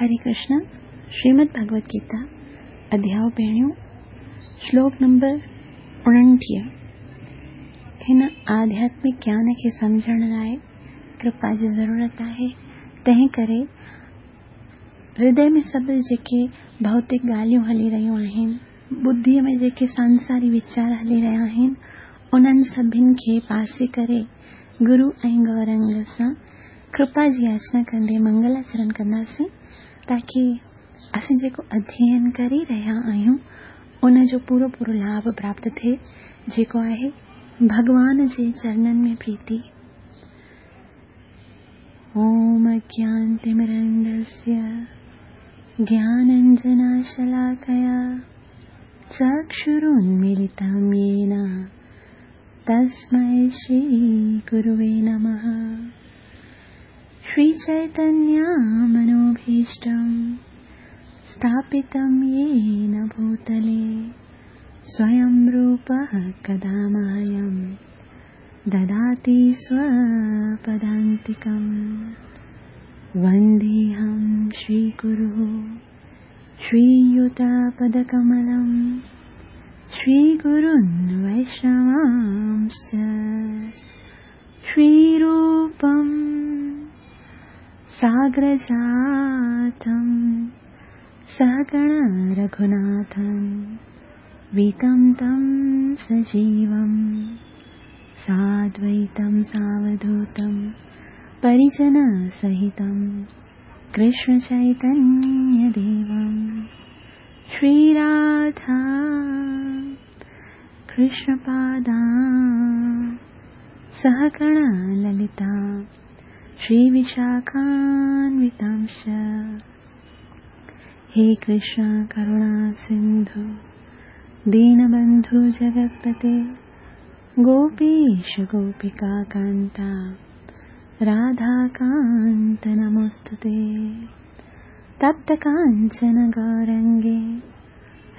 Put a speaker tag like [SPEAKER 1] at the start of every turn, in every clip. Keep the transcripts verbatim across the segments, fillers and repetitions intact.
[SPEAKER 1] हरे कृष्ण। श्रीमद् भगवत गीता अध्याय पहिरियों श्लोक नंबर उणिटीह। हिन आध्यात्मिक ज्ञान खे सम्झण लाइ कृपा जी ज़रूरत आहे। तंहिं करे हृदय में सभु जेके भौतिक ॻाल्हियूं हली रहियूं आहिनि, बुद्धीअ में जेके सांसारी वीचार हली रहिया आहिनि, उन्हनि सभिनि खे पासे करे गुरू ऐं गौरंग सां कृपा जी याचना कंदे मंगलाचरण कंदासीं, ताकी असीं जेको अध्ययन करे रहिया आहियूं उन जो पूरो पूरो लाभ प्राप्त थिए, जेको आहे भॻवान जे चरणनि में प्रीति। ओम अज्ञानतिमिरन्धस्य ज्ञानाञ्जनशलाकया चक्षुरुन्मीलितं येन तस्मै श्रीगुरुवे नमः। श्रीचैतन्यमनोभीष्टं स्थापितं येन भूतले स्वयं रूपः कदा मह्यं ददाति स्वपदान्तिकं। वन्देऽहं श्रीगुरुः श्रीयुतपदकमलं श्रीगुरुन् वैष्णवांश्च श्रीरूपं साग्रजातं सहगण रघुनाथं वीतं तं सजीवं साद्वैतं सावधूतं परिजनसहितं कृष्णचैतन्यदेवं श्रीराधा कृष्णपादा सहगण ललिता श्रीविशाखान्वितांश्च। हे कृष्ण करुणा सिन्धु दीनबन्धु जगत्पते गोपीश गोपिका कान्ता राधाकान्त नमोऽस्तुते। तप्त काञ्चन गौरङ्गे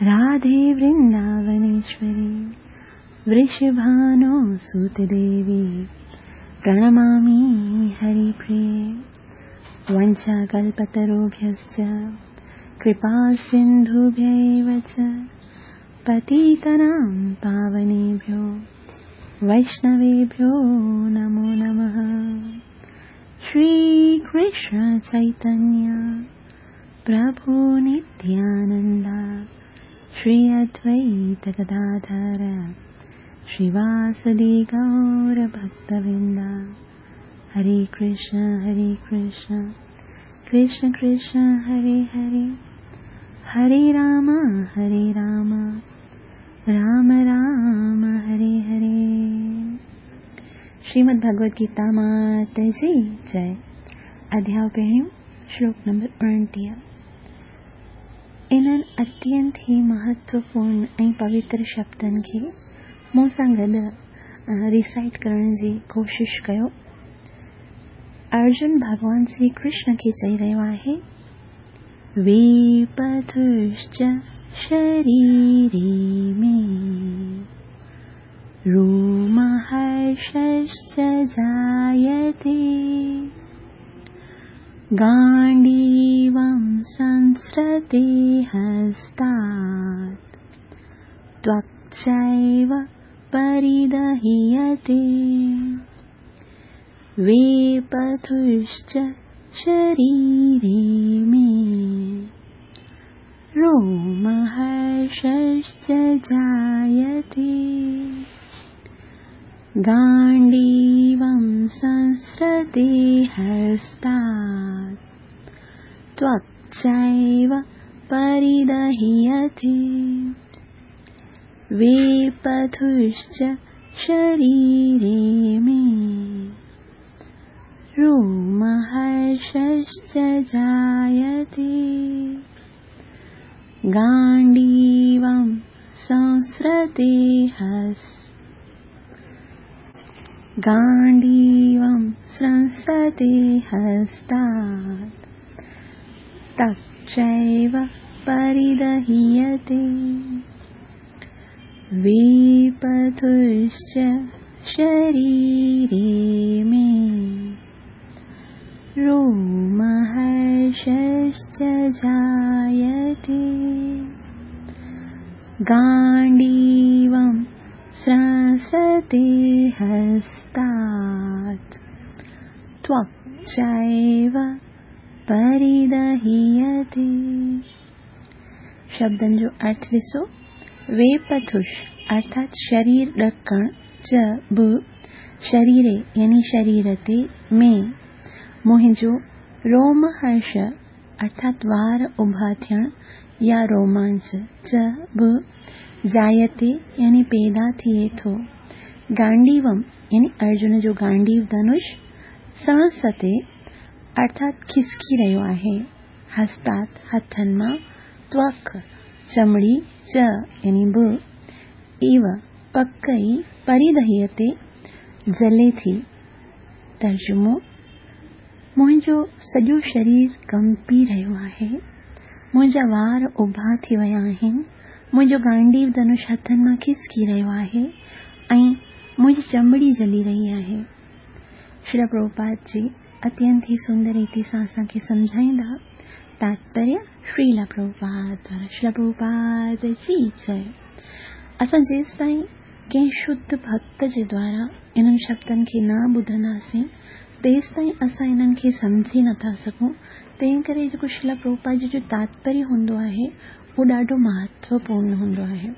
[SPEAKER 1] राधे वृन्दावनेश्वरी वृषभानुसुते देवी प्रणमामि हरिप्रिये। वञ्चाकल्पतरुभ्यश्च कृपासिन्धुभ्य एव च पतितानां पावनेभ्यो वैष्णवेभ्यो नमो नमः। श्रीकृष्ण चैतन्य प्रभु नित्यानन्द श्री अद्वैत गदाधर श्रीवासदि गौरभक्तवृन्द। हरे कृष्ण हरे कृष्ण कृष्ण कृष्ण हरे हरे, हरे राम हरे राम राम राम हरे हरे। श्रीमद् भगवद गीता मात जी जय। अध्याय पहिरियों श्लोक नंबर उणिटीह। इन्हनि अत्यंत ई महत्वपूर्ण ऐं पवित्र शब्दनि खे मूं सां गॾु रिसाइट करण जी कोशिश कयो। अर्जुन भॻवान श्री कृष्ण खे चई रहियो आहे, वेपथुश्च शरीरे मे रोमहर्षश्च जायते गाण्डीवं संसृते हस्तात् त्वक्चैव परिदह्यते। वेपथुश्च शरीरे मे रोमहर्षश्च जायते गाण्डीवं संसृते हस्तात् त्वक्चैव परिदह्यते। वेपथुश्च शरीरे मे रोमहर्षश्च जायते गाण्डीवं संसृते हस् गाण्डीवं संसृते हस्तात् त्वक्चैव परिदह्यते। वेपथुश्च शरीरे मे रोमहर्षश्च रोमहर्षश्च जायते। गाण्डीवं स्रंसते हस्तात् त्वक् चैव परिदह्यते। शब्दनि जो अर्थ ॾिसो, वेपथुष अर्थात शरीर ॾकणु, च बि शरीरे यानी शरीर ते, में मुंहिंजो, रोमहर्ष अर्थात वार उभा थियणु या रोमांच, च बि जायते यानी पैदा थिए थो, गांडीवम यानी अर्जुन जो गांडीव धनुष, सणसते अर्थात खिसकी रहियो आहे, हस्तात हथनि मां, त्वक चमड़ी, च यानी बि, इव पक ई, परिदह्यते जले थी। तर्जुमो, मुंहिंजो सॼो शरीर कंपी रहियो आहे, मुंहिंजा वार उभा थी विया आहिनि, मुंहिंजो गांडीव धनुष हथनि मां खिसकी रहियो आहे ऐं मुंहिंजी चमड़ी जली रही आहे। श्रील प्रभुपाद जी अत्यंत ही सुंदर रीति सां असांखे सम्झाईंदा। तात्पर्य श्रील प्रभुपाद द्वारा। श्रील प्रभुपाद जी जय। असां जेसि ताईं कंहिं शुद्ध भक्त जे द्वारा इन्हनि शब्दनि खे न ॿुधंदासीं तेसि ताईं असां इन्हनि खे सम्झी नथा सघूं। तंहिं करे जेको श्रील प्रभुपाद जी जो तात्पर्य हूंदो आहे उहो ॾाढो महत्वपूर्ण हूंदो आहे।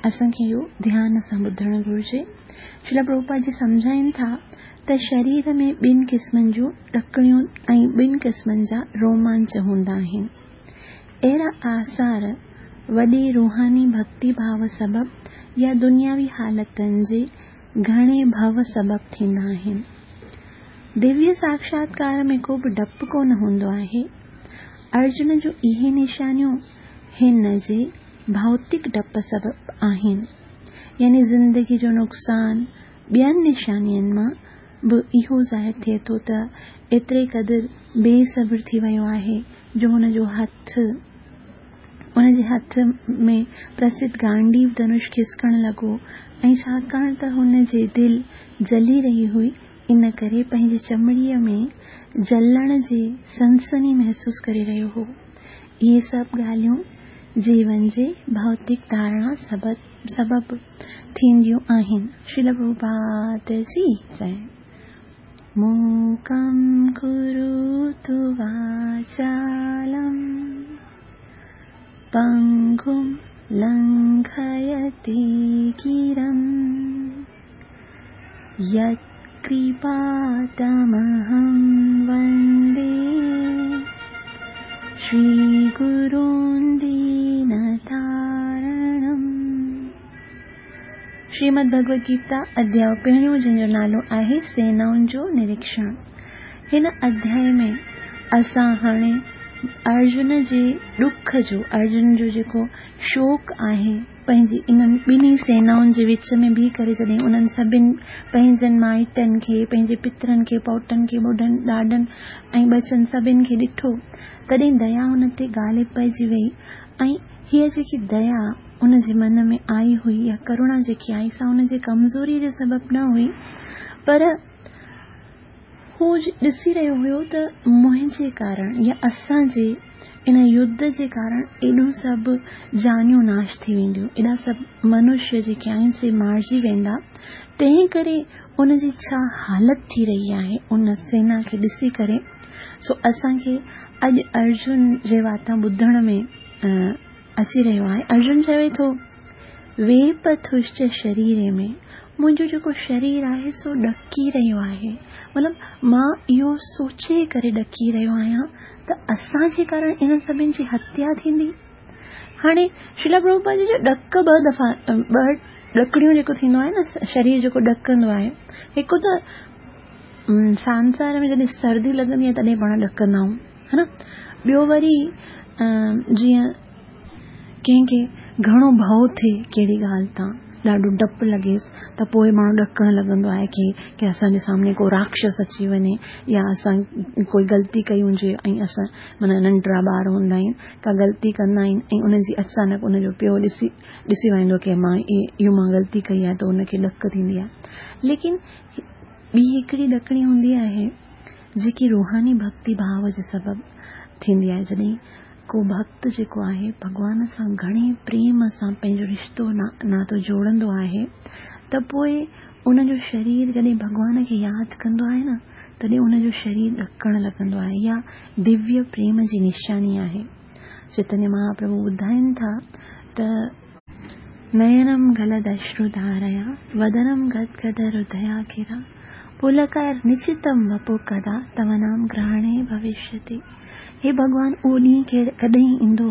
[SPEAKER 1] असांखे इहो ध्यान सां ॿुधणु घुरिजे। श्रील प्रभुपाद जी सम्झाइनि था त शरीर में ॿिनि क़िस्मनि जूं ॾकणियूं ऐं ॿिनि क़िस्मनि जा रोमांच हूंदा आहिनि। अहिड़ा आसार वॾे रूहानी भक्ति भाव सबबु या दुनियावी हालतुनि जे घणे भव सबबु थींदा आहिनि। दिव्य साक्षात्कार में को बि डपु कोन हूंदो आहे। अर्जुन जूं इहे निशानियूं हिन जे भौतिक डप सबबु आहिनि, यानी ज़िंदगी जो नुक़सानु। ॿियनि निशानियुनि मां बि इहो ज़ाहिर थिए थो त एतिरे क़दुरु बेसब्र थी वियो आहे जो हुन जो हथु उन जे हथ में प्रसिद्ध गांडीव धनुष खिसकणु लॻो ऐं छाकाणि त हुन जी दिलि जली रही हुई, इन करे पंहिंजी चमड़ीअ में जलण जी सनसनी महसूसु करे रहियो हो। इहे सभु ॻाल्हियूं जीवन जे भौतिक धारणा सबबु थींदियूं आहिनि। श्रील प्रभुपाद जी जय। मूकं करोतु वाचालं पंगुं लंघयते गिरं यत्कृपातमहं वन्दे श्रीगुरुं दीनतारणम्। श्रीमद् भगवद गीता अध्याय पहिरियों जंहिंजो नालो आहे सेनाउनि जो निरीक्षण। हिन अध्याय में असां हाणे अर्जुन जे ॾुख जो, अर्जुन जो जेको शोक आहे पंहिंजी इन्हनि ॿिन्ही सेनाउनि जे विच में बीह करे जॾहिं उन्हनि सभिनी पंहिंजनि माइटनि खे, पंहिंजे पितरनि खे, पौटनि खे, ॿुढनि, ॾाॾनि ऐं ॿचनि सभिनी खे ॾिठो, तॾहिं दया हुन ते ग़ालिब पइजी वई ऐं हीअ जेकी दया उन जे मन में आई हुई या करुणा जेकी आई सा उन जे कमज़ोरी जे सबबु न हुई, पर हू ॾिसी रहियो हुयो त मुंहिंजे कारण या असांजे इन युद्ध जे कारण एॾो सभु जानियूं नाश थी वेंदियूं, एॾा सभु मनुष्य जेके आहिनि से मारिजी वेंदा, तंहिं करे उनजी छा हालत थी रही आहे उन सेना खे ॾिसी करे। सो असांखे अॼु अर्जुन जे वातां ॿुधण में अची रहियो आहे। अर्जुन चवे थो, वेपथुश्च शरीरे में, मुंहिंजो जेको शरीर आहे सो ॾकी रहियो आहे। मतिलबु मां इहो सोचे करे ॾकी रहियो आहियां त असांजे कारण इन्हनि सभिनी जी हत्या थींदी। हाणे श्रील प्रभुपाद जी जो ॾक ॿ दफ़ा ॿ ॾकड़ियूं जेको थींदो आहे न, शरीर जेको ॾकंदो आहे, हिकु त संसार में जॾहिं सर्दी लॻंदी आहे तॾहिं पाण ॾकंदा आहियूं, हा न। ॿियो वरी जीअं कंहिंखे घणो भउ थिए कहिड़ी ॻाल्हि तां, ॾाढो डपु लॻेसि त पोइ माण्हू ॾकणु लॻंदो आहे की की असांजे साम्हूं को राक्षस अची वञे या असां कोई ग़लती कई हुजे ऐं असां माना नंढड़ा ॿार हूंदा आहिनि, का ग़लती कंदा आहिनि ऐं उनजी अचानक उनजो पियो ॾिसी ॾिसी वञंदो की मां इहो मां ग़लती कई आहे त उनखे ॾक थींदी आहे। लेकिन ॿी हिकिड़ी ॾकणी हूंदी आहे जेकी रूहानी भक्ति भाव जे सबबु ٿيندي آهي. جڏهن ڪو ڀڪت جيڪو آهي ڀڳوان سان گهڻي پريم سان پنهنجو رشتو ناتو جوڙندو آهي ته پوءِ ان جو شرير جڏهن ڀڳوان کي ياد ڪندو آهي نه، تڏهن ان جو شرير ڏڪڻ لڳندو آهي. اها دويه پريم جي نشاني آهي. چيتنيه مهاپرڀو ٻڌائين ٿا ته نينم گلدشرڌاريا ودنم گدگد هرديا گرا پلڪر نچتم وپو ڪدا تو نام گرهڻي ڀوشيتي. هي ڀڳوان، اهو ڏينهن ڪڏهن ايندو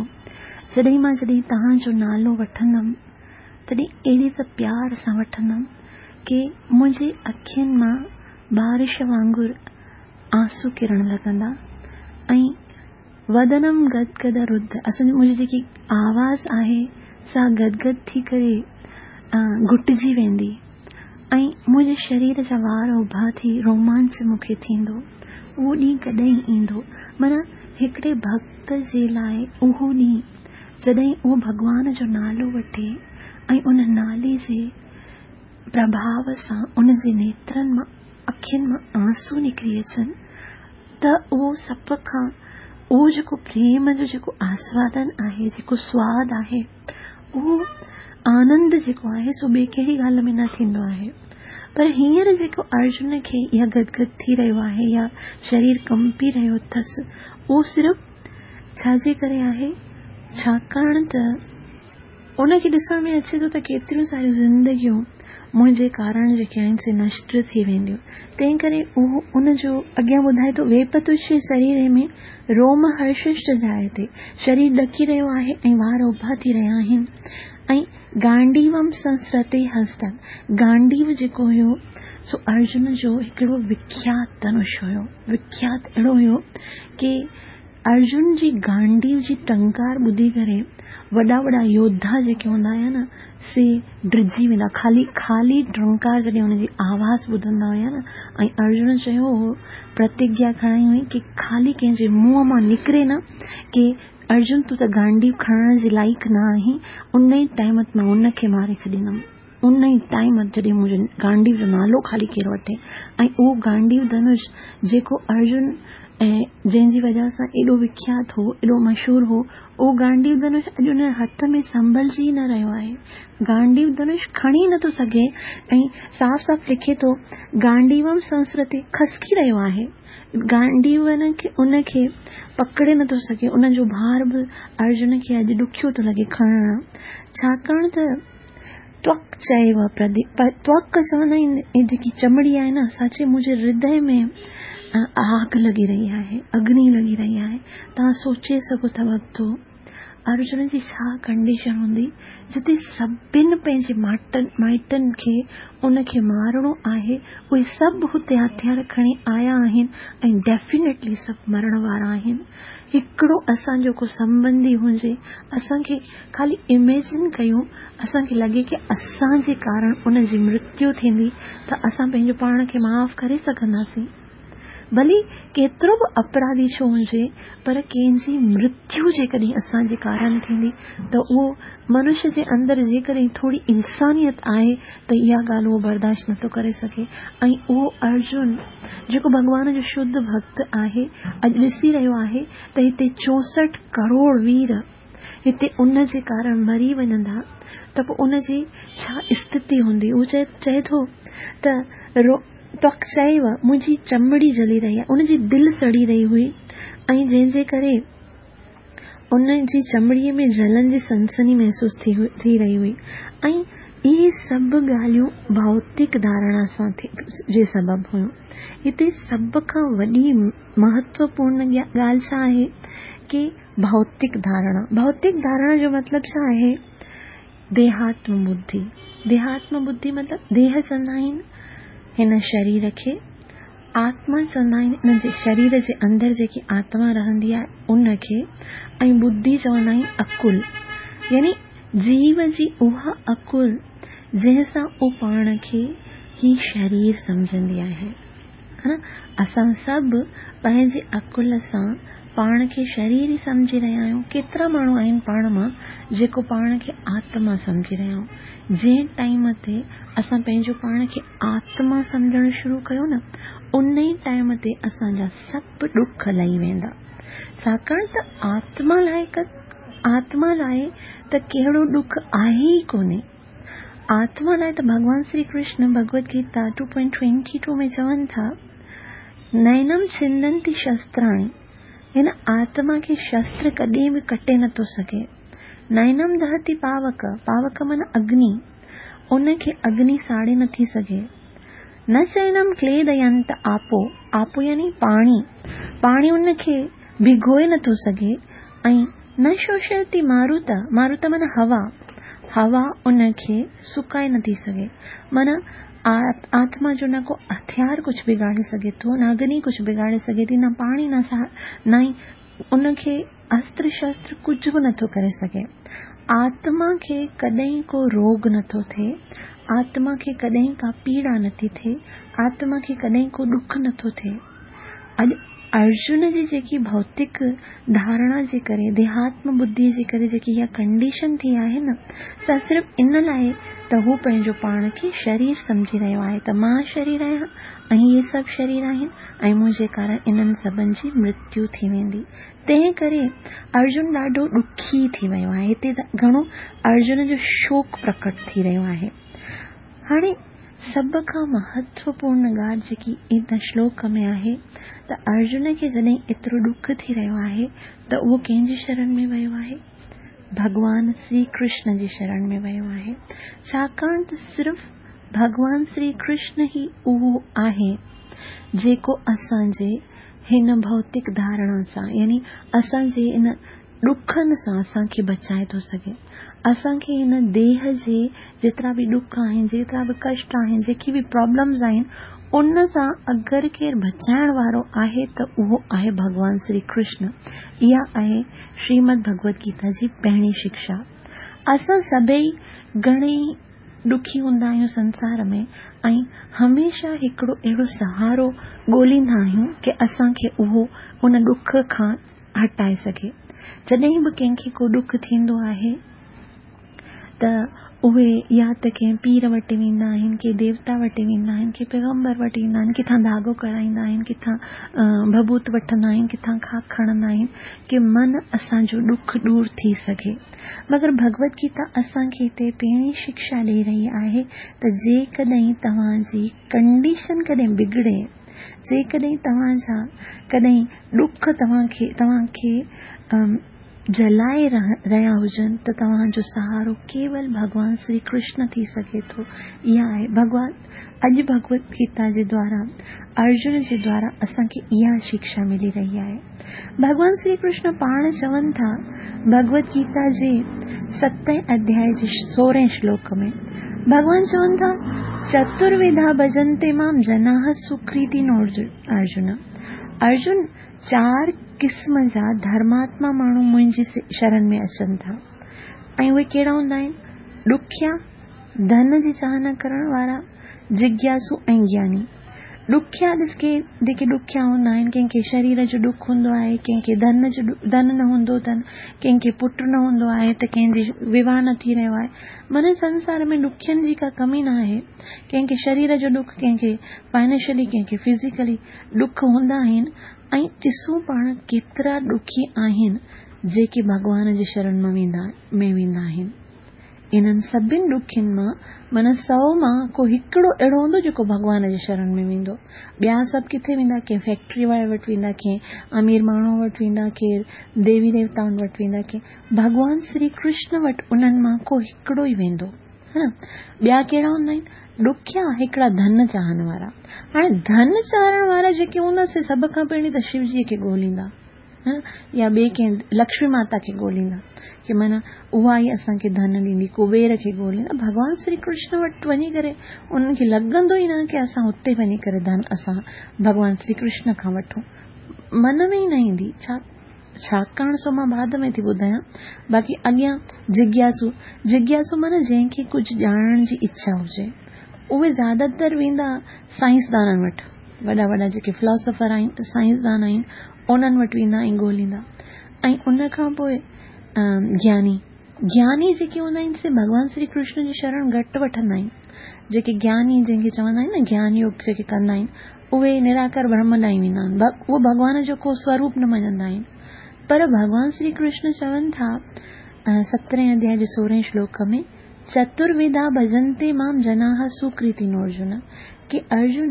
[SPEAKER 1] جڏهن مان جڏهن توهان جو نالو وٺندم، تڏهن اهڙي ته پيار سان وٺندم ڪه منهنجي اکين مان بارش وانگر آنسو ڪرڻ لڳندا ۽ ودنم گدگد رڌ، اسان جي منهنجي جيڪي آواز آهي سا گدگد ٿي ڪري گهٽجي ويندي ۽ منهنجي شرير جا وار اڀا ٿي رومانچ مون کي ٿيندو. اهو ڏينهن ڪڏهن ايندو؟ معنيٰ هڪڙي ڀڪت جي لاءِ اهو ڏينهن جڏهن اهو ڀڳوان جو نالو وٺي ۽ ان نالي جي پرڀاو سان ان جي نيترن مان اکين مان آنسو نڪري اچن ته اهو سڀ کان اهو جيڪو پريم جو جيڪو آسوادن آهي، جيڪو سواد آهي، اهو آنند جيڪو آهي سو ٻئي ڪهڙي ڳالهه ۾ نه ٿيندو آهي. پر هينئر جيڪو ارجن کي اها گدگد ٿي رهيو آهي يا شرير ڪمپي رهيو اٿس، اهو صرف ڇا جي ڪري آهي؟ ڇاڪاڻ ته ان کي ڏسڻ ۾ اچي ٿو ته ڪيتريون ساريون زندگيون منهنجي ڪارڻ جيڪي آهن سي نشٽ ٿي وينديون. تنهن ڪري اهو ان جو اڳيان ٻڌائي ٿو، ويپتشي شرير ۾ روم هرششٽ جائتي، شرير ڏڪي رهيو آهي ۽ وار اڀا ٿي رهيا آهن. ۽ گانڊيوم سنسرتي هستن، گانڊيو جيڪو هيو سو ارجن جو هڪڙو وکيات ڌنش هيو. وکيات اهڙو هيو ڪه ارجن جي گانڊيو جي ٽنڪار ٻڌي ڪري وڏا وڏا يوڌا جيڪي هوندا هيا نه سي ڊڄي ويندا. خالي خالي ٽنڪار جڏهن هن جي آواز ٻڌندا هيا نه، ۽ ارجن چيو هو، پرتگيا کڻائي هئي ڪه خالي ڪنهن جي منهن مان نڪري نه ڪه ارجن تون ته گانڊيو کڻڻ جي لائق نه آهين، ان ئي ٽائيم تي مان ان کي ماري ڇڏيندم. ان ئي ٽائيم جڏهن منهنجو گانڊيو جو نالو خالي ڪير وٺي. ۽ اهو گانڊيو ڌنش جيڪو ارجن ۽ جنهن جي وجهه سان ايڏو وکيات هو، ايڏو مشهور هو، اهو گانڊيو ڌنش اڄ ان هٿ ۾ سنڀلجي نه رهيو آهي. گانڊيو ڌنش کڻي نٿو سگهي ۽ صاف صاف لکي ٿو گانڊيوم سنسرتي، کسڪي رهيو آهي. گانڊيو کي ان کي پڪڙي نٿو سگهي، ان جو ڀار به ارجن کي اڄ ڏکيو ٿو لڳي کڻڻ. ڇاڪاڻ ته توڪ چئيو پرديپ، توڪ چوندا آهن هي جيڪي چمڙي آهي نه، سا چئي منهنجي هردي ۾ آگ لڳي رهي آهي، اگني لڳي رهي آهي. توهان سوچي سگهو ٿا ڀڳتو ارجن جي ڇا ڪنڊيشن هوندي جتي سڀني پنهنجي ماٽن مائٽن کي ان کي مارڻو آهي، اهي سڀ هتي هٿيار کڻي آيا آهن ۽ ڊيفينيٽلي سڀ مرڻ وارا آهن. هڪڙو اسان جو ڪو سنٻنڌي هجي، اسان کي خالي اميجن ڪيون، اسان کي لڳي ڪه اسان جي ڪارڻ ان جي مرتيو ٿيندي ته اسان پنهنجو پاڻ کي معاف ڪري سگهنداسين؟ ڀلي ڪيترو به اپراڌي ڇو هجي، پر ڪنهن جي مرتيو جيڪڏهن اسان جي ڪارڻ ٿيندي ته اهو منشيه جي اندر جيڪڏهن ٿوري انسانيت آهي ته اها ڳالهه اهو برداشت نٿو ڪري سگهي. ۽ اهو ارجن جيڪو ڀڳوان جو شڌ ڀڪت آهي، اڄ ڏسي رهيو آهي ته هتي چوسٺ ڪروڙ وير هتي ان جي ڪارڻ مري وڃندا ته پوءِ ان جي ڇا اسٿتي هوندي؟ اهو چئي چئي ٿو ته رو توڪ چئيو منهنجي چمڙي جلي رهي آهي، ان جي دل سڙي رهي هئي ۽ جنهن جي ڪري ان جي چمڙيءَ ۾ جلن جي سنسني محسوس ٿي ٿي رهي هئي. ۽ اهي سڀ ڳالهيون ڀوتڪ ڌارڻا سان جي سبب هيون. هتي سڀ کان وڏي مهتوپورڻ ڳالهه ڇا آهي ڪه ڀوتڪ ڌارڻا. ڀوتڪ ڌارڻا جو مطلب ڇا آهي؟ ديهاتم ٻڌي. ديهاتم ٻڌي مطلب ديهه چوندا آهن هن شرير کي، آتما چوندا آهن هن جي شرير جي اندر جيڪي آتما رهندي آهي ان کي، ۽ ٻڌي چوندا آهن عقل، يعني جيو جي اها عقل جنهن سان اهو پاڻ کي هي شرير سمجهندي آهي. ها نه، اسان سڀ پنهنجي عقل سان پاڻ کي شرير ئي سمجهي رهيا آهيون. ڪيترا ماڻهو آهن پاڻ مان جيڪو پاڻ کي آتما سمجهي رهيا آهيون. جنهن ٽائيم تي اسان پنهنجو پاڻ کي آتما سمجهڻ شروع ڪيو نه، ان ئي ٽائيم تي اسان جا سڀ ڏک لهي ويندا. ڇاڪاڻ ته آتما لاءِ آتما لاءِ ته ڪهڙو ڏک آهي ئي ڪونهي. آتما لاءِ ته ڀڳوان Shri Krishna Bhagavad Gita two point twenty two ۾ چون ٿا، نينم ڇندنتي شستراڻي، هن آتما کي شستر ڪڏهن به ڪٽي نٿو سگهي. نينم دهتي پاوڪ، پاوڪ معنيٰ اگني، ان کي اگني ساڙي نٿي سگهي. نه چينم ڪليدينت آپو، آپو يعني پاڻي، پاڻي ان کي ڀگوئي نٿو سگهي. ۽ نه شوشيتي ماروت، ماروت معنيٰ هوا، هوا ان کي سڪائي نٿي سگهي. معنيٰ آتما جو نه ڪو هٿيار ڪجهه بگاڙي سگهي ٿو، نه اگني ڪجهه بگاڙي سگهي ٿي، نه پاڻي، نه سا، نه ئي ان کي استر شستر ڪجهه به نٿو ڪري سگهي. آتما کي ڪڏهن ڪو روڳ نٿو ٿئي، آتما کي ڪڏهن ڪا پيڙا نٿي ٿئي، آتما کي ڪڏهن ڪو ڏک نٿو ٿئي. اڄ ارجن جي جيڪي ڀوتڪ ڌارڻا جي ڪري، ديهاتم ٻڌيءَ جي ڪري جيڪي اها ڪنڊيشن ٿي آهي نه، سا صرف ان لاءِ ته هو پنهنجو پاڻ کي شرير سمجهي رهيو آهي ته مان شرير آهيان ۽ اهي سڀ شرير آهن ۽ منهنجي ڪارڻ انهن سڀن جي مرتيو ٿي ويندي. تنهن ڪري ارجن ڏاڍو ڏکي ٿي ويو آهي. هتي گهڻو ارجن جو شوڪ پرڪٽ ٿي رهيو آهي. هاڻي سڀ کان مهتوپورڻ ڳالهه جيڪي ان شلوڪ ۾ آهي ته ارجن کي جڏهن ايترو ڏک ٿي رهيو آهي ته اهو ڪنهن جي شرڻ ۾ ويو آهي؟ ڀڳوان شري ڪرشن جي شرڻ ۾ ويو آهي. ڇاڪاڻ ته صرف ڀڳوان شري ڪرشن ئي اهو آهي جيڪو اسان جي هن ڀوتڪ ڌارڻا سان، يعني اسان جي ان ڏکن سان اسان کي بچائي ٿو سگهي. اسان کي هن ديهه جي جيترا به ڏک آهن، جيترا به ڪشٽ آهن، جيڪي به پرابلمز آهن، ان سان اگر ڪير بچائڻ وارو آهي ته اهو آهي ڀڳوان شري ڪرشن. اها آهي شريمد ڀڳوت گيتا جي پهرين شڪشا. اسان سڀئي گهڻيئي ڏکي هوندا آهيون سنسار ۾ ۽ هميشه هڪڙو اهڙو سهارو ڳولهيندا آهيون ڪه اسان کي اهو ان ڏک کان هٽائي سگهي. جڏهن به ڪنهن کي ڪو ڏک ٿيندو آهي ته اهي يا ته ڪنهن پير وٽ ويندا آهن، ڪنهن ديوتا وٽ ويندا آهن، ڪنهن پيغمبر وٽ ويندا آهن، ڪٿان ڌاڳو ڪرائيندا آهن، ڪٿان ڀڀوت وٺندا آهن، ڪٿان خاڪ کڻندا آهن ڪه من اسان جو ڏک دور ٿي سگهي. مگر ڀڳوت گيتا اسان کي هتي پهرين شڪشا ڏيئي رهي آهي ته جيڪڏهن توهان جي ڪنڊيشن ڪڏهن بگڙي، جيڪڏهن توهان جا ڪڏهن ڏک توهان کي توهان کي جلائي رهيا هجن ته توهان جو سهارو ڪيول ڀڳوان شري ڪرشن ٿي سگهي ٿو. اها آهي ڀڳوان. اڄ ڀڳوت گيتا جي دوارا، ارجن جي دوارا اسان کي اها شڪشا ملي رهي آهي. ڀڳوان شري ڪرشن پاڻ چون ٿا ڀڳوت گيتا جي ستين اڌياءِ جي سورهين شلوڪ ۾ ڀڳوان چون ٿا، چتروڌا ڀجنتي مام جناح سڪرتي ارجن. ارجن، چار قسم جا ڌرماتما ماڻهو منهنجي شرڻ ۾ اچن ٿا ۽ اهي ڪهڙا هوندا آهن؟ ڏکيا، ڌن جي چاهنا ڪرڻ وارا، جگياسو ۽ گياني. ڏکيا ڏس ڪي جيڪي ڏکيا هوندا آهن، ڪنهن کي شرير جو ڏک هوندو آهي، ڪنهن کي ڌن جو ڌن نه هوندو اٿن، ڪنهن کي پٽ نه هوندو آهي ته ڪنهن جي وواهه نه ٿي رهيو آهي. معنيٰ سنسار ۾ ڏکين جي ڪا ڪمي نه آهي. ڪنهن کي شرير جو ڏک، ڪنهن کي فائنينشلي، ڪنهن کي فزيڪلي ڏک هوندا آهن. ۽ ڏسون پاڻ ڪيترا ڏکي آهن جيڪي ڀڳوان جي شرڻ ۾ ويندا ۾ ويندا آهن. انهن سڀني ڏکين مان معنيٰ سؤ مان ڪو هڪڙو اهڙو هوندو جيڪو ڀڳوان جي شرڻ ۾ ويندو. ٻيا سڀ ڪٿي ويندا؟ ڪنهن فيڪٽري واري وٽ ويندا، ڪنهن امير ماڻهوءَ وٽ ويندا، ڪير ديوي ديوتائن وٽ ويندا، ڪنهن ڀڳوان شري ڪرشن وٽ انهن مان ڪو هڪڙو ئي ويندو، ها نه؟ ٻيا ڪهڙا هوندا آهن ڏکيا؟ هڪڙا ڌن چاهڻ وارا. هاڻي ڌن چاهڻ وارا جيڪي هوندا سي سڀ کان پهرين ته شوجيءَ کي ڳولهيندا يا ٻئي ڪنهن لڪشمي ماتا کي ڳولهيندا ڪه معنيٰ اها ئي اسان کي ڌن ڏيندي. ڪبير کي ڳولهيندا. ڀڳوان شري ڪرشن وٽ وڃي ڪري انهن کي لڳندو ئي نه ڪه اسان هتي وڃي ڪري ڌن اسان ڀڳوان شري ڪرشن کان وٺون، من ۾ ئي نه ايندي. ڇا ڇاڪاڻ سو مان بعد ۾ ٿي ٻڌايان. باقي اڳيان جگياسو، جگياسو معنيٰ جنهن کي ڪجهه ڄاڻڻ جي اڇا هجي، اهي زياده تر ويندا سائنسدانن وٽ. وڏا وڏا جيڪي فلاسافر آهن، سائنسدان آهن، انهن وٽ ويندا ۽ ڳولهيندا. ۽ ان کان پوءِ گياني، گياني جيڪي هوندا آهن سي ڀڳوان شري ڪرشن جي شرڻ گهٽ وٺندا آهن. جيڪي گياني جنهن کي چوندا آهن نه، گيان يوگ جيڪي ڪندا آهن، اهي نراڪار برهم ڏانهن ويندا آهن. اهو ڀڳوان جو ڪو سوروپ نه مڃندا آهن. پر ڀڳوان شري ڪرشن چون ٿا سترهين اڌياء جي سورهين شلوڪ ۾، چتروڌا ڀجنتي مام جناح سڪرتينو ارجن، ڪي ارجن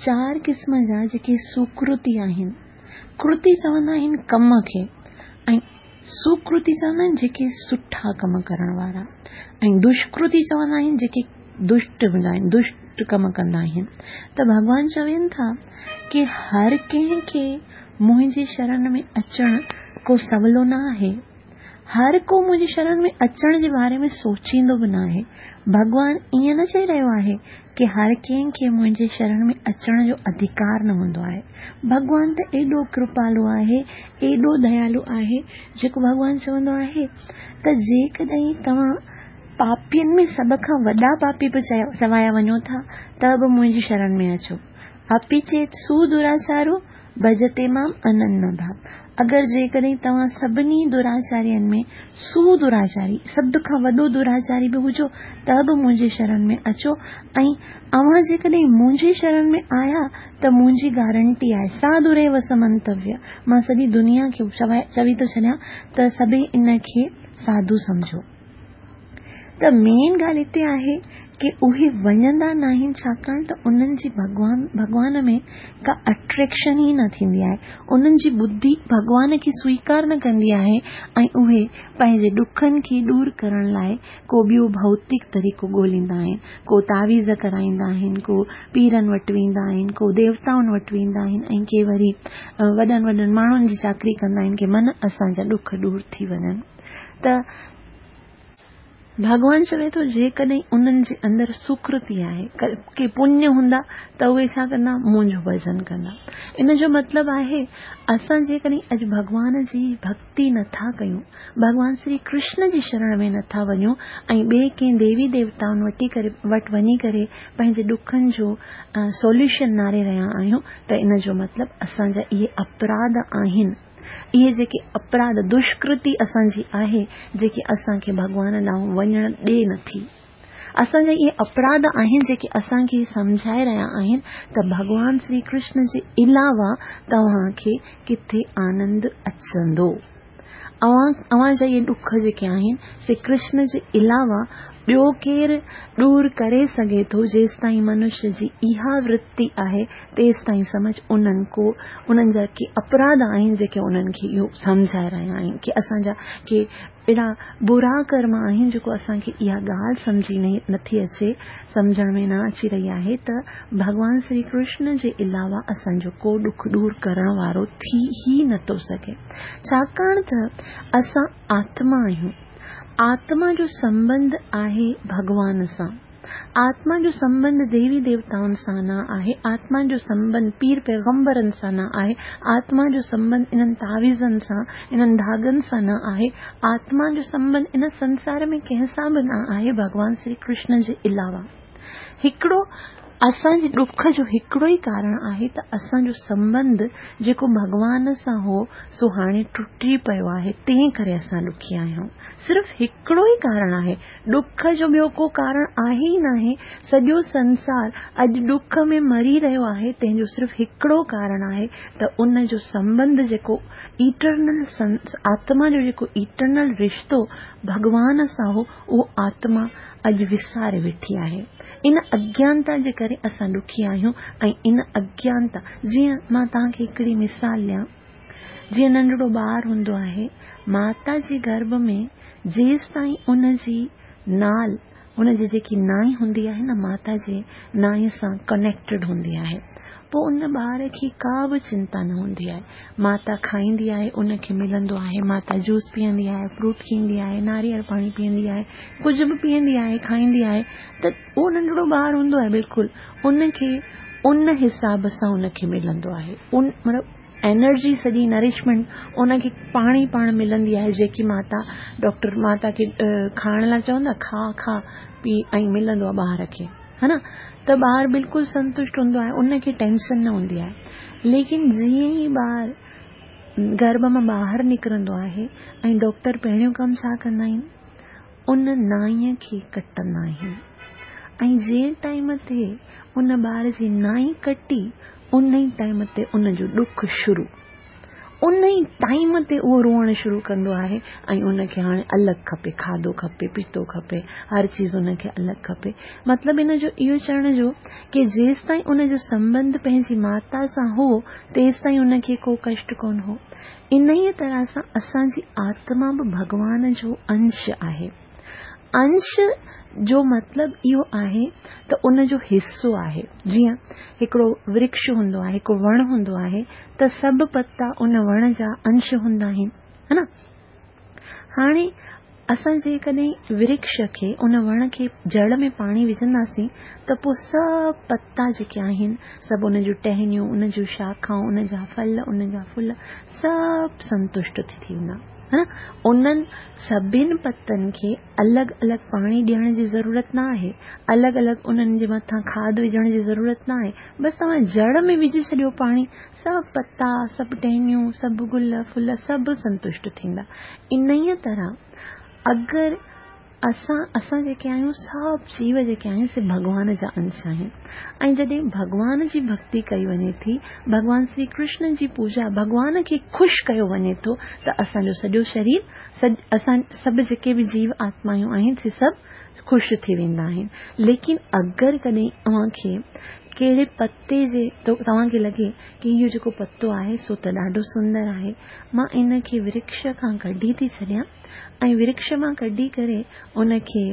[SPEAKER 1] چار قسم جا جيڪي سڪرتي آهن، ڪرتي چوندا آهن ڪم کي ۽ سڪرتي چوندا آهن جيڪي سٺا ڪم ڪرڻ وارا، ۽ دشڪرتي چوندا آهن جيڪي دشٽ هوندا آهن، دشٽ ڪم ڪندا آهن. ته ڀڳوان چون ٿا ڪي هر ڪنهن کي منهنجي شرڻ ۾ اچڻ ڪو سولو نه آهي، هر ڪو منهنجي شرڻ ۾ اچڻ جي باري ۾ سوچيندو به نه آهي. ڀڳوان ائين نه چئي رهيو آهي ڪي هر ڪنهن کي منهنجي شرڻ ۾ اچڻ جو اڌڪار نه هوندو آهي. ڀڳوان ته ايڏو ڪرپالو آهي، ايڏو ديالو آهي، جيڪو ڀڳوان چوندو آهي ته جيڪڏهن توهان پاپين ۾ سڀ کان وڏا پاپي به چوايا وڃو ٿا ته به منهنجي شرڻ ۾ اچو. اپي چيت سودراچارو ڀجتي مام اننيه ڀاو، اگر جيڪڏهن توهان سڀني دراچارين ۾ سودراچاري، سڀ کان وڏو دراچاري به هجو ته به منهنجي شرڻ ۾ اچو، ۽ اوهان جيڪڏهن منهنجي شرڻ ۾ آيا ته منهنجي گارنٽي آهي، ساڌوريو سمنتويه، مان سڄي دنيا کي چوي ٿو ڇڏيان ته سڀئي ان کي ساڌو سمجهو. ته مين ڳالهه هتي آهي ڪي اهي وڃندا ناهن، ڇاڪاڻ ته انهن جي ڀڳوان ڀڳوان ۾ ڪا اٽريڪشن ئي نه ٿيندي آهي، انهن جي ٻڌي ڀڳوان کي سويڪار نه ڪندي آهي، ۽ اهي پنهنجي ڏکن کي دور ڪرڻ لاءِ ڪو ٻيو ڀوتڪ طريقو ڳولهيندا آهن، ڪو تعويذ ڪرائيندا آهن، ڪو پيرن وٽ ويندا آهن، ڪو ديوتائن وٽ ويندا آهن، ۽ ڪي وري وڏن وڏن ماڻهن جي چاڪري ڪندا آهن ڪي من اسان جا ڏک دور ٿي وڃن. ته ڀڳوان چوي ٿو جيڪڏهن انهن جي اندر سڪرتي آهي، ڪي پڃ هوندا ته اهي ڇا ڪندا، منهنجو ڀڄن ڪندا. ان جو مطلب آهي اسان جيڪڏهن اڄ ڀڳوان جي ڀڪتي نٿا ڪيون، ڀڳوان شري ڪرشن جي شرڻ ۾ نٿا وڃون ۽ ٻئي ڪنهن ديوي ديوتائن وٽ ڪري وٽ وڃي ڪري پنهنجي ڏکن جو سوليوشن ناري رهيا آهيون، ته ان جو مطلب اسان جا اهي اپراڌ آهن، اهي جيڪي اپراڌ دشڪرتي اسان جي آهي، جيڪي اسان کي ڀڳوان ڏانهن وڃڻ ڏي نٿي. اسان جا اهي اپراڌ آهن جيڪي اسان کي سمجهائي رهيا آهن ته ڀڳوان شري ڪرشن جي علاوه توهان کي ڪٿي آنند اچندو. اوهان اوهان جا اهي ڏک جيڪي آهن سي ڪرشن جي علاوه ٻيو ڪير دور ڪري سگهي ٿو؟ جيستائين منشيه جي اها ورتي آهي تيستائين سمجهه انهن ڪو انهن جا ڪي اپراڌ آهن جيڪي انهن کي اهو سمجهائي رهيا آهن ڪي اسان جا ڪي اهڙا برا ڪرم آهن جيڪو اسان کي اها ڳالهه سمجهي نٿي اچي، سمجهڻ ۾ نه اچي رهي آهي ته ڀڳوان شري ڪرشن جي علاوه اسان جو ڪو ڏک دور ڪرڻ وارو ٿي ئي نٿو سگهي. ڇاڪاڻ ته اسان آتما آهيون، آتما جو سنٻنڌ آهي ڀڳوان سان، آتما جو سنٻنڌ ديوي ديوتائن سان نه آهي، آتما جو سنٻنڌ پير پيغمبرن سان نه آهي، آتما جو سنٻنڌ انهن تعويذن سان، انهن ڌاڳن سان نه آهي، آتما جو سنٻنڌ ان سنسار ۾ ڪنهن سان به نه آهي ڀڳوان شري ڪرشن جي علاوه. هڪڙو اسان جي ڏک جو هڪڙو ئي ڪارڻ آهي ته اسان جو سنٻنڌ جيڪو ڀڳوان سان هو سو هاڻي ٽٽي پيو آهي، تنهن ڪري اسان ڏکي آهيون. صرف هڪڙو ئي ڪارڻ آهي، ڏک جو ٻيو ڪو ڪارڻ آهي ئي ناهي. سڄو سنسار اڄ ڏک ۾ مري رهيو آهي، تنهن جو صرف هڪڙو ڪارڻ آهي ته ان جو سنٻنڌ جيڪو ايٽرنل آتما جو جيڪو ايٽرنل رشتو ڀڳوان سان هو، اهو آتما اڄ وساري ويٺي آهي. ان اگيانتا جي ڪري اسان ڏکي آهيون. ۽ ان اگيانتا، جيئن مان توهان کي هڪڙي مثال ڏيان، جيئن ننڍڙو ٻار هوندو آهي ماتا جي گرڀ ۾ جيستائين ان جي نال، ان جي جيڪي نائي هوندي آهي نه، ماتا جي نائي سان ڪنيڪٽيڊ هوندي آهي، پوءِ ان ٻار کي ڪا به چنتا نه هوندي آهي. ماتا کائيندي آهي، ان کي ملندو آهي، ماتا جوس پيئندي آهي، فروٽ کائيندي آهي، ناريل پاڻي پيئندي آهي، ڪجهه به پيئندي آهي، کائيندي آهي، ته اهو ننڍڙو ٻار هوندو آهي بلڪل ان کي ان حساب سان ان کي ملندو آهي، ان مطلب انرجي سڄي نرشمينٽ ان کي پاڻ ئي پاڻ ملندي آهي. جيڪي ماتا ڊاڪٽر ماتا کي کائڻ لاءِ چوندا، کا کا پي، ۽ ملندو آهي ٻار کي، ها نه؟ ته ٻار بلڪل سنتشٽ هوندو آهي، ان کي ٽينشن نه هوندي آهي. ليڪن جيئن ئي ٻار گرڀ مان ٻاهر نڪرندو آهي ۽ ڊاڪٽر پهريون ڪم ڇا ڪندا آهن، ان نائيءَ کي ڪٽندا آهن، ۽ جنهن ٽائيم تي ان ٻار جي نائي ڪٽي ان ئي ٽائيم تي ان جو ڏک شروع، उन ई टाइम ते उहो रोअणु शुरू कंदो आहे ऐं उनखे हाणे अलॻि खपे, खाधो खपे, पीतो खपे, हर चीज़ उनखे अलॻि खपे। मतिलबु इन जो इहो चवण जो की जेसि ताईं उनजो संबंध पंहिंजी माता सां हो तेसि ताईं उनखे को कष्ट कोन हो। इन ई तरह सां असांजी आत्मा बि भॻवान जो अंश आहे। अंश जो मतिलबु इहो आहे त उनजो हिसो आहे। जीअं हिकिड़ो वृक्ष हूंदो आहे, हिकिड़ो वण हूंदो आहे त सभु पता उन वण जा अंश हूंदा आहिनि, हा न। हाणे असां जेकॾहिं वृक्ष खे, उन वण खे जड़ में पाणी विझंदासीं त पोइ सभु पता जेके आहिनि, सभु उन जूं टहनियूं, उन जूं शाखाऊं, उन जा फल, उन जा फुल सभु संतुष्ट थी वेंदा, हा न। उन्हनि सभिनि पतनि खे अलॻि अलॻि पाणी ॾियण जी ज़रूरत न आहे, अलॻि अलॻि उन्हनि जे मथां खाद विझण जी ज़रूरत न आहे। बसि तव्हां जड़ में विझी छॾियो पाणी, सभु पता, सभु टहनियूं, सभु गुल फुल सभु संतुष्ट थींदा। इन ई तरह अगरि असां असां जेके आहियूं सभु जीव जेके आहिनि से भॻवान जा अंश आहिनि। ऐं जॾहिं भॻवान जी भक्ति कई वञे थी, भॻवान श्री कृष्ण जी पूजा, भॻवान खे ख़ुशि कयो वञे थो त असांजो सॼो शरीर, असां सभु जेके बि जीव आत्मायूं आहिनि से सभु ख़ुशि थी वेंदा आहिनि। लेकिन अगरि कॾहिं तव्हांखे कहिड़े पते जे तव्हांखे लॻे की इहो जेको पतो आहे सो त ॾाढो सुंदर आहे, मां इनखे वृक्ष खां कढी थी छॾियां ऐं वृक्ष मां कढी करे उनखे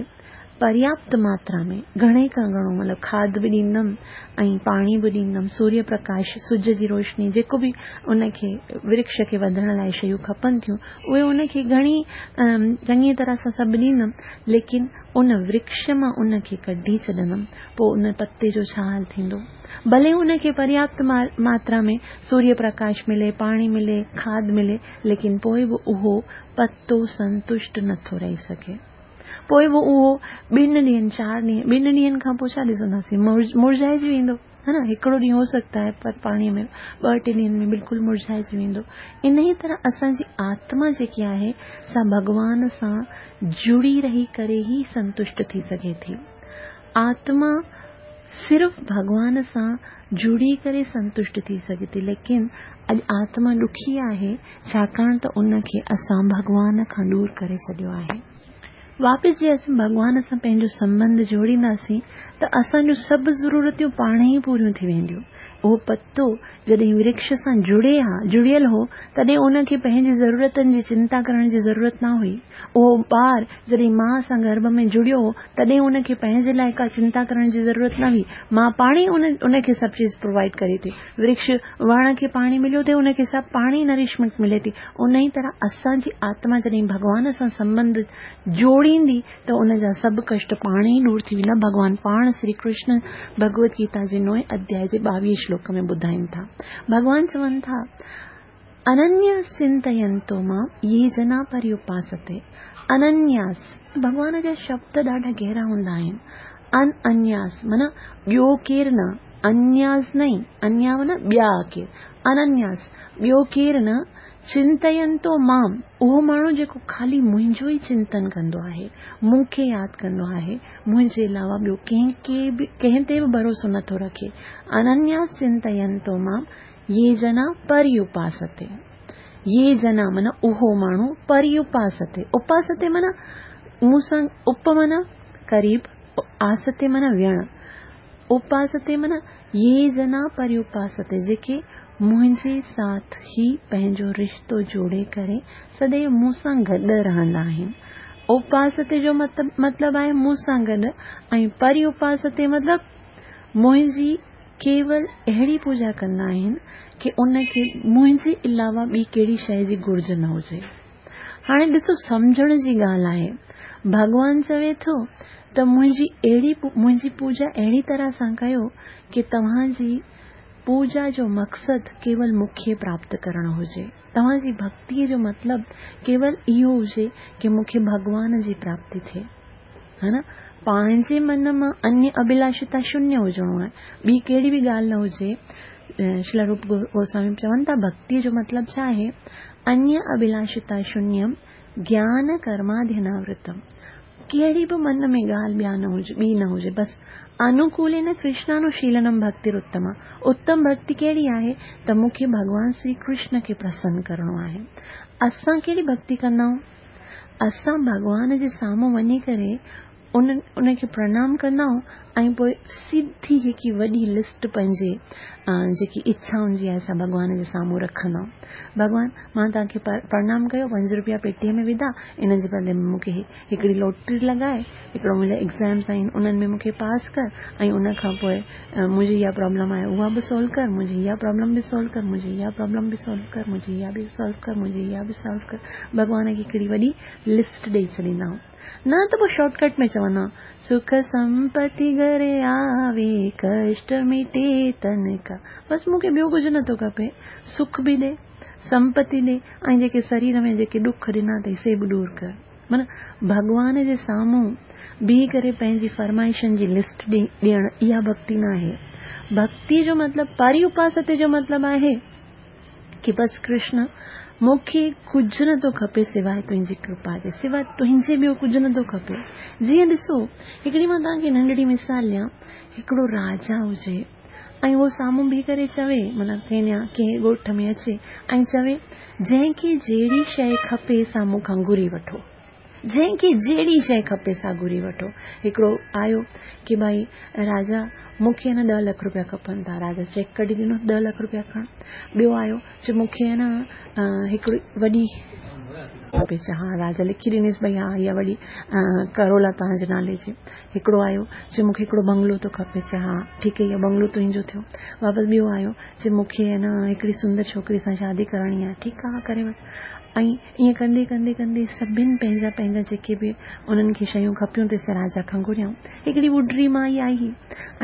[SPEAKER 1] पर्याप्त मात्रा में घणे खां घणो मतिलबु खाद बि ॾींदमि ऐं पाणी बि ॾींदमि, सूर्य प्रकाश, सुज जी रोशनी, जेको बि उनखे वृक्ष खे वधण लाइ शयूं खपनि थियूं उहे उनखे घणी चङी तरह सां सभु ॾींदमि, लेकिन उन वृक्ष मां उनखे कढी छॾंदमि, पोइ उन पते जो छा हाल थींदो? भले उनखे पर्याप्त मात्रा में सूर्य प्रकाश मिले, पाणी मिले, खाद मिले, लेकिन पोइ बि उहो पतो संतुष्ट नथो रही सघे। पोइ बि उहो ॿिनि ॾींहनि, चारि ॾींहं, ॿिनि ॾींहनि खां पोइ छा ॾिसंदासीं, मुरझाइजी वेंदो, हा न। हिकिड़ो ॾींहुं हो सकता है पर पाणीअ में ॿ टे ॾींहंनि में बिल्कुलु मुरझाइजी वेंदो। इन ई तरह असांजी आत्मा जेकी आहे सा भॻवान सां जुड़ी रही करे ई संतुष्ट थी सघे थी। आत्मा सिर्फ़ भॻवान सां जुड़ी करे संतुष्ट थी सघे थी, लेकिन अॼु आत्मा ॾुखी आहे छाकाणि त उनखे असां भॻवान खां दूर करे छॾियो आहे। वापसि जे असां भॻवान सां पंहिंजो संबंध जोड़ींदासीं त असांजूं सभु ज़रूरतियूं पाण ई पूरियूं थी वेंदियूं। उहो पतो जॾहिं वृक्ष सां जुड़े हा, जुड़ियल हो, तॾहिं उनखे पंहिंजी ज़रूरतनि जी चिंता करण जी ज़रूरत न हुई। उहो ॿार जॾहिं माउ सां गर्भ में जुड़ियो हो तॾहिं उनखे पंहिंजे लाइ का चिंता करण जी ज़रूरत न हुई। माउ पाण ई उन उनखे सभु चीज़ प्रोवाइड करे थी। वृक्ष वण खे पाणी मिलियो त उनखे सभु पाण ई नरिशमेंट मिले थी। उन ई तरह असांजी आत्मा जॾहिं भॻवान सां संबंध जोड़ींदी त उनजा सभु कष्ट पाण ई दूर थी वेंदा। भॻवान पाण श्री कृष्ण भगवत गीता जे नओं अध्याय जे ॿावीह श्लोक में ॿुधाइनि था। भॻवान चवनि था, अनन्यास चिंतयन्तो मां ये जना पर्युपासते। अनन्यास, भॻवान जा शब्द ॾाढा गहरा हूंदा आहिनि। अन अन्यास माना ॿियो केरु न, अन्यास नहीं, अन्या माना ॿिया केरु, अनन्यास ॿियो केरु न, चिंतयन्तो माम, उहो माण्हू जेको ख़ाली मुंहिंजो ई चिंतन कंदो आहे, मूंखे यादि कंदो आहे, मुंहिंजे अलावा ॿियो कंहिंखे बि कंहिं ते बि भरोसो नथो रखे। अनन्यास चिंतयन्तो माम ये जना पर्युपासते। ये जना माना उहो माण्हू, पर्युपासते, उपासते माना मूंसां, उप माना क़रीब, आसते माना वियण, उपासते माना ये जना पर्युपासते, जेके मुंहिंजे साथ ई पंहिंजो रिश्तो जोड़े करे सदैव मूंसां गॾु रहंदा आहिनि। उपासते जो मतिलबु आहे मूंसां गॾु, ऐं पर्युपासते मतिलबु मुंहिंजी केवल अहिड़ी पूजा कंदा आहिनि की उनखे मुंहिंजे अलावा ॿी कहिड़ी शइ जी घुर्ज न हुजे। हाणे ॾिसो, सम्झण जी ॻाल्हि आहे। भॻवान चवे थो त मुंहिंजी अहिड़ी मुंहिंजी पूजा अहिड़ी तरह सां कयो की तव्हांजी पूजा जो मक़सदु केवल मूंखे प्राप्त करणु हुजे। तव्हांजी भक्तीअ जो मतिलबु केवल इहो हुजे की मूंखे भॻवान जी प्राप्ति थिए, हा न। पंहिंजे मन मां अन्य अभिलाषिता शून्य हुजणो आहे, ॿी कहिड़ी बि ॻाल्हि न हुजे। श्रील रूप गोस्वामी चवनि था भक्तीअ जो मतिलबु छा आहे? अन्य अभिलाषिता शून्यम ज्ञान कर्माध्यनावृतम। कहिड़ी बि मन में ॻाल्हि ॿिया न हुजे, ॿी न हुजे, बसि अनुकूलेन कृष्णानुशीलनम भक्तिरुत्तमा। उत्तम भक्ति कहिड़ी आहे त मूंखे भॻवान श्री कृष्ण खे प्रसन्न करिणो आहे। असां कहिड़ी भक्ति कंदा आहियूं? असां भॻवान जे साम्हूं वञी करे उन उनखे प्रणाम कंदा आहियूं ऐं पोइ सिधी हिकु वॾी लिस्ट पंहिंजे जेकी इच्छाउनि जी आहे सा भॻवान जे साम्हूं रखंदा आहियूं। भॻवान, मां तव्हांखे प्रणाम कयो, पंज रुपया पेटीअ में विधा, इन जे बदिले में मूंखे हिकिड़ी लॉटरी लॻाए, हिकिड़ो मुंहिंजा एग्ज़ाम्स आहिनि उन्हनि में मूंखे पास कर, ऐं उन खां पोइ मुंहिंजी इहा प्रॉब्लम आहे उहा बि सॉल्व कर, मुंहिंजी इहा प्रॉब्लम बि सॉल्व कर, मुंहिंजी इहा प्रॉब्लम बि सॉल्व कर, मुंहिंजी इहा बि सॉल्व कर, मुंहिंजी इहा बि सॉल्व कर। भॻवान खे हिकिड़ी वॾी लिस्ट ॾेई छॾींदा आहियूं। न त पोइ शॉर्टकट में चवंदा, सुख संपत्ति घरे आवे, कष्ट मिटे तन का। बसि मूंखे ॿियो कुझु नथो खपे, सुख बि ॾे, संपत्ति ॾे, ऐं जेके शरीर में जेके ॾुख ॾिना अथई से बि दूर कर। माना भॻवान जे साम्हूं बीह करे पंहिंजी फरमाइशनि जी लिस्ट ॾियणु इहा भक्ति न आहे। भक्ति जो मतिलबु, परिउपासते जो मतिलबु आहे की बसि कृष्ण मूंखे कुझु नथो खपे सिवाइ तुंहिंजी कृपा जे, सिवाइ तुंहिंजे ॿियो कुझु नथो खपे। जीअं ॾिसो, हिकिड़ी मां तव्हांखे नंढड़ी मिसाल ॾियां, हिकिड़ो राजा हुजे ऐं उहो साम्हूं बीह करे चवे, माना कंहिं कंहिं ॻोठ में अचे ऐं चवे जंहिंखे जहिड़ी शइ खपे सा मूंखां घुरी वठो, जंहिंखे जहिड़ी शइ खपे सा घुरी वठो। हिकिड़ो आयो की भई राजा मूंखे न ॾह लख रुपया खपनि था, राजा चेक कढी ॾिनो ॾह लख रुपया खण। ॿियो आयो चए मूंखे आहे न हिकिड़ी वॾी खपे, चए हा, राजा लिखी ॾिनसि भई हा इहा वॾी करोला तव्हांजे नाले जी। हिकिड़ो आयो चए मूंखे हिकिड़ो बंगलो थो खपे, चए हा ठीकु आहे, इहो बंगलो तुंहिंजो थियो। वापसि ॿियो आयो चए मूंखे आहे न हिकिड़ी सुंदर छोकिरी सां शादी करणी आहे, ठीकु आहे करे वठि। ऐं ईअं कंदे कंदे कंदे सभिनि पंहिंजा पंहिंजा जेके बि उन्हनि खे शयूं खपियूं त राजा खां घुरियऊं। हिकिड़ी ॿुढड़ी माई आई हुई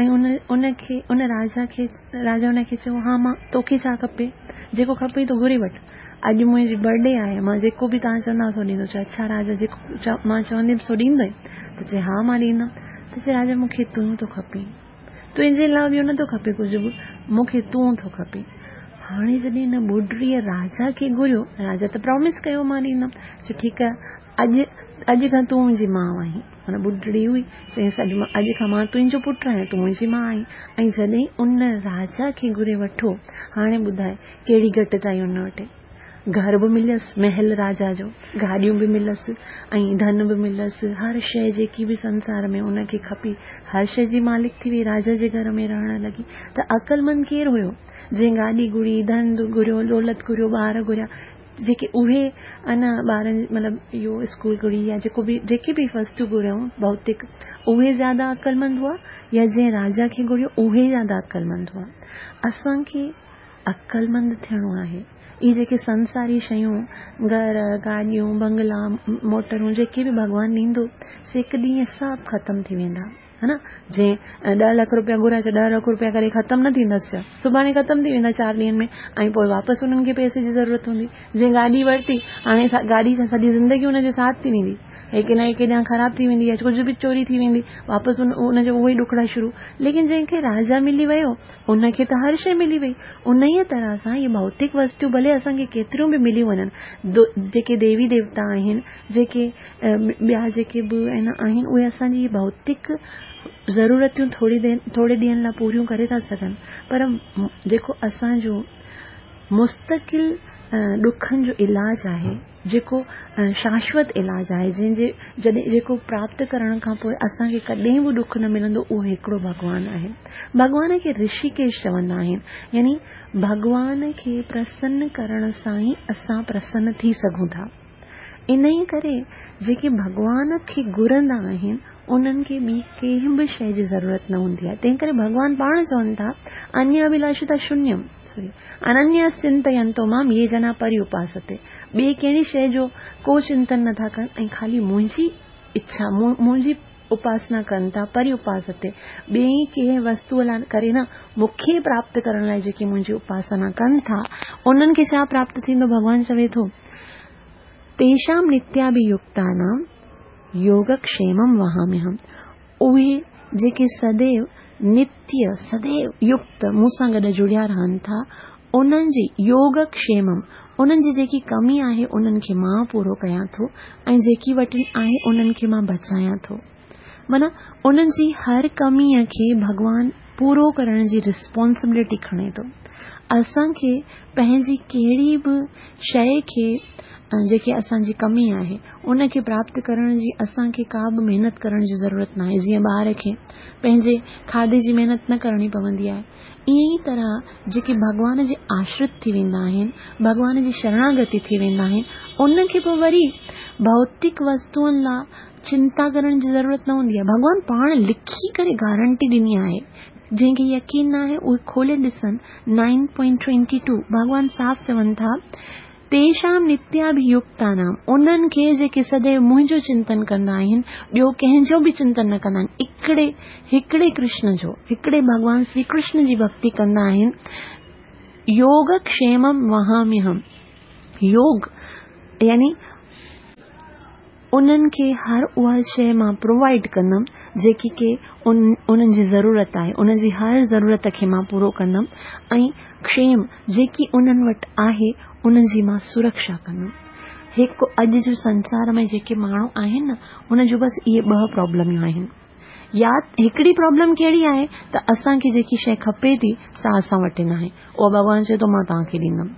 [SPEAKER 1] ऐं उन उनखे उन राजा खे राजा उनखे चयो हा मां तोखे छा खपे, जेको खपे तो घुरी वठि, अॼु मुंहिंजी बर्थडे आहे, मां जेको बि तव्हां चवंदा सो ॾींदो। चए अच्छा राजा, जेको मां चवंदुमि सो ॾींदो? त चए हा मां ॾींदुमि। त चए राजा मूंखे तूं थो खपे, तुंहिंजे अलावा ॿियो नथो खपे कुझु बि, मूंखे तूं थो खपे। हाणे जॾहिं हिन ॿुढड़ीअ राजा खे घुरियो, राजा त प्रॉमिस कयो मां ॾींदुमि, चए ठीकु आहे, अॼु अॼु खां तूं मुंहिंजी माउ आहीं। माना ॿुढड़ी हुई, चयईंसि अॼु अॼु खां मां तुंहिंजो पुटु आहियां, तूं मुंहिंजी माउ आहीं। ऐं जॾहिं उन राजा खे घुरे वठो, हाणे ॿुधाए कहिड़ी घटिताई हुन वटि, घर बि मिलियसि, महल राजा जो, गाॾियूं बि मिलियसि ऐं धन बि मिलियसि, हर शइ जेकी बि संसार में उनखे खपी, हर शइ जी मालिक थी वई, राजा जे घर में रहण लॻी। त अक़लमंद केरु हुयो? जंहिं गाॾी घुरी, धन घुरियो, दौलत घुरियो, ॿार घुरिया, जेके उहे अना ॿारनि मतिलबु इहो स्कूल घुरी या जेको बि जेके बि वस्तु घुरियऊं भौतिक, उहे ज़्यादा अक़लमंद हुआ या जंहिं राजा खे घुरियो उहे ज़्यादा अक़लमंद हुआ? असांखे अक़लमंद थियणो आहे। इहे जेके संसारी शयूं, घर, गाॾियूं, बंगला, मोटरूं जेके बि भॻवानु ॾींदो से हिकु ॾींहुं सभु ख़तमु थी वेंदा, है न। जंहिं ॾह लख रुपया घुराए ॾह लख रुपया करे ख़तमु न थींदसि, सुभाणे ख़तमु थी वेंदा चारि ॾींहंनि में, ऐं पोइ वापसि उन्हनि खे पैसे जी ज़रूरत हूंदी। जंहिं गाॾी वरिती, हाणे गाॾी सां सॼी ज़िंदगी हुनजे साथ थी वेंदी, हिकु न हिकु ॾांहुं ख़राबु थी वेंदी या कुझु बि चोरी थी वेंदी, वापसि उन उनजो उहो ई ॾुखड़ा शुरू। लेकिन जंहिंखे राजा मिली वियो उनखे त हर शइ मिली वई। उन ई तरह सां इहे भौतिक वस्तु भले असांखे केतिरियूं बि मिली वञनि, जेके देवी देवता आहिनि, जेके ॿिया जेके बि आहिनि, उहे असांजी भौतिक ज़रूरतियूं थोरी देरि थोरे ॾींहंनि लाइ पूरियूं करे था सघनि, पर जेको असांजो मुस्तकिल ॾुखनि जो इलाज आहे, जेको शाश्वत इलाज आहे, जंहिंजे जॾहिं जेको प्राप्त करण खां पोइ असांखे कॾहिं बि ॾुख न मिलंदो, उहो हिकिड़ो भॻवानु आहे। भॻवान खे ऋषिकेश चवंदा आहिनि, यानी भॻवान खे प्रसन्न करण सां ई असां प्रसन्न थी सघूं था। इन ई करे जेके भॻवान खे घुरंदा आहिनि उन्हनि खे ॿी कंहिं बि शइ जी ज़रूरत न हूंदी आहे। तंहिं करे भॻवान पाण चवनि था, अन्य अभिलाषिता शून्यम, सॉरी, अनन्य चिंतयंतो माम ये जना परिउपासते। ॿी कहिड़ी शइ जो को चिंतन नथा कनि ऐं ख़ाली मुंहिंजी इच्छा, मुंहिंजी उपासना कनि था, परिउपासते। ॿी कंहिं वस्तूअ लाइ करे न, मूंखे प्राप्त करण लाइ जेके मुंहिंजी उपासना कनि था, उन्हनि खे छा प्राप्त थींदो? भॻवान चवे थो, तेषां नित्याभियुक्तानां योगक्षेमं वहाम्यहम्। उहे जेके सदैव नित्य सदैव युक्त मूं सां गॾु जुड़िया रहनि था, उन्हनि जी योगक्षेमम, انهن جي جيڪي ڪمي آهي انهن کي مان پورو ڪيان ٿو ۽ جيڪي وٽن آهي انهن کي مان بچايان ٿو. معنيٰ انهن جي هر ڪميء کي ڀڳوان پورو ڪرڻ جي ريسپانسبلٽي کڻي ٿو. اسان کي پنهنجي ڪهڙي به شيء کي جيڪي اسان جي ڪمي آهي ان کي پراپت ڪرڻ جي اسان کي ڪا به محنت ڪرڻ جي ضرورت ناهي. جيئن ٻار کي پنهنجي کاڌي جي محنت نه ڪرڻي پوندي آهي، ائين ئي طرح جيڪي ڀڳوان جي آشرت ٿي ويندا آهن، ڀڳوان جي شرڻاگتي ٿي ويندا آهن، ان کي پوء وري ڀوتڪ وستوئن لاء چنتا ڪرڻ جي ضرورت نه هوندي آهي. ڀڳوان پاڻ لکي ڪري گارنٽي ڏني آهي. جنهن کي يقين ناهي اهي کولي ڏسن نائن پوائنٽ ٽوئنٽي ٽو ڀڳوان صاف چون ٿا تيشام نتياڀيڪتانام انهن کي جيڪي سديو منهنجو چنتن ڪندا آهن، ٻيو ڪنهن جو به چنتن نه ڪندا آهن، هڪڙي هڪڙي ڪرشن جو، هڪڙي ڀڳوان شري ڪرشن جي ڀڳتي ڪندا آهن. يوگڪشيمم وهاميهم، يوگ يعني انهن کي هر اها شيء مان پرووائيڊ ڪندم جيڪي ڪي انهن جي ضرورت آهي، انهن جي هر ضرورت کي مان پورو ڪندم ۽ ڪشيم جيڪي انهن وٽ آهي انهن جي مان سرڪشا ڪندم. هڪ اڄ جو سنسار ۾ جيڪي ماڻهو آهن نه انهن جون بس اهي ٻه پرابلميون آهن. يا هڪڙي پرابلم ڪهڙي آهي ته اسان کي جيڪي شيء کپي ٿي سا اسان وٽ ناهي، اها ڀڳوان چئي ٿو مان توهان کي ڏيندم.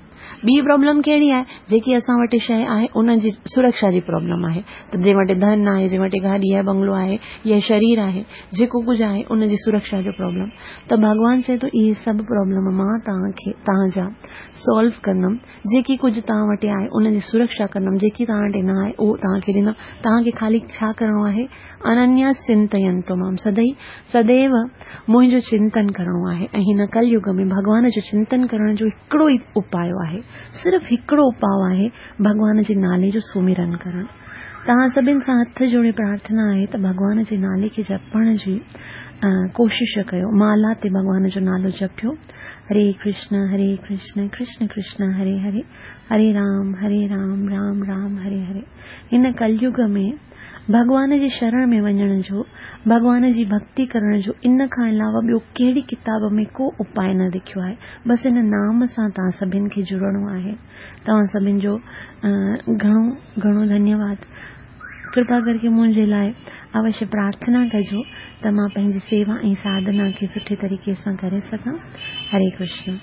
[SPEAKER 1] ٻي پرابلم ڪهڙي آهي، جيڪي اسان وٽ شيء آهي ان جي سرڪشا جي پرابلم آهي ته جنهن وٽ ڌن آهي، جنهن وٽ گاڏي آهي، بنگلو آهي يا شرير آهي، جيڪو ڪجهه آهي ان جي سرڪشا جو پرابلم. ته ڀڳوان چئي ٿو اهي سڀ پرابلم مان توهان کي توهان جا سالو ڪندم، جيڪي ڪجهه توهان وٽ آهي ان جي سرڪشا ڪندم، جيڪي توهان وٽ نه آهي اهو توهان کي ڏيندم. توهان کي خالي ڇا ڪرڻو آهي، اننيا چنتينتو مام، سدئي سديو منهنجو چنتن ڪرڻو آهي. ۽ هن ڪل يگ ۾ ڀڳوان جو چنتن ڪرڻ جو هڪڙو ئي اپاء آهي، صرف هڪڙو اپاء آهي، ڀڳوان جي نالي جو سمرن ڪرڻ. توهان سڀن سان هٿ جوڙي پرارٿنا آهي ته ڀڳوان جي نالي کي جپڻ جي ڪوشش ڪيو. مالا تي ڀڳوان جو نالو جپيو. هري ڪرشن هري ڪرشن ڪرشن ڪرشن هري هري، هري رام هري رام رام رام هري هري. هن ڪليگ ۾ ڀڳوان جي شرڻ ۾ وڃڻ جو، ڀڳوان جي ڀڳتي ڪرڻ جو ان کان علاوه ٻيو ڪهڙي ڪتاب ۾ ڪو اپاء نه لکيو آهي. بس ان نام سان توهان سڀن کي جڙڻو آهي. توهان سڀن جو گهڻو گهڻو ڌنيواد. ڪرپا ڪرڪي منهنجي لاءِ اوشيه پرارٿنا ڪجو ته مان پنهنجي سيوا ۽ ساڌنا کي سٺي طريقي سان ڪري سگهان. هري ڪرشن.